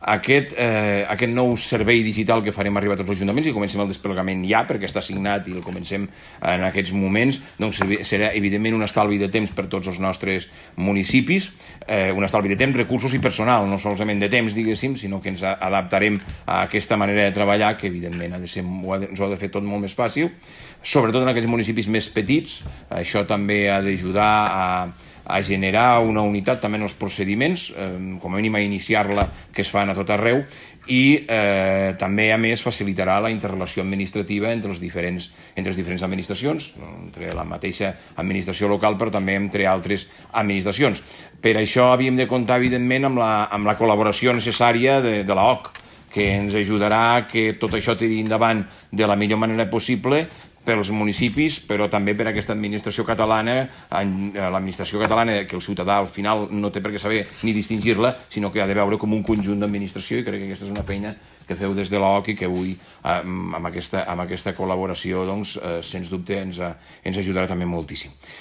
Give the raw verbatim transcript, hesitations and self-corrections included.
Aquest, eh, aquest nou servei digital que farem arribar a tots els ajuntaments i comencem el desplegament ja, perquè està signat i el comencem en aquests moments, doncs serà evidentment un estalvi de temps per tots els nostres municipis, eh, un estalvi de temps, recursos i personal, no solament de temps, diguéssim, sinó que ens adaptarem a aquesta manera de treballar, que evidentment ha de ser, ens ho ha de fer tot molt més fàcil, sobretot en aquells municipis més petits. Això també ha d'ajudar a a generar una unitat també en els procediments, eh, com a mínim a iniciar-la, que es fan a tot arreu, i eh, també, a més, facilitarà la interrelació administrativa entre, els diferents, entre les diferents administracions, entre la mateixa administració local, però també entre altres administracions. Per això havíem de comptar, evidentment, amb la, amb la col·laboració necessària de, de l'O C, que ens ajudarà a que tot això tiri endavant de la millor manera possible pels municipis, però també per aquesta administració catalana, l'administració catalana, que el ciutadà al final no té per què saber ni distingir-la, sinó que ha de veure com un conjunt d'administració, i crec que aquesta és una feina que feu des de l'O C i que avui, amb aquesta, amb aquesta col·laboració, doncs, sens dubte, ens, ens ajudarà també moltíssim.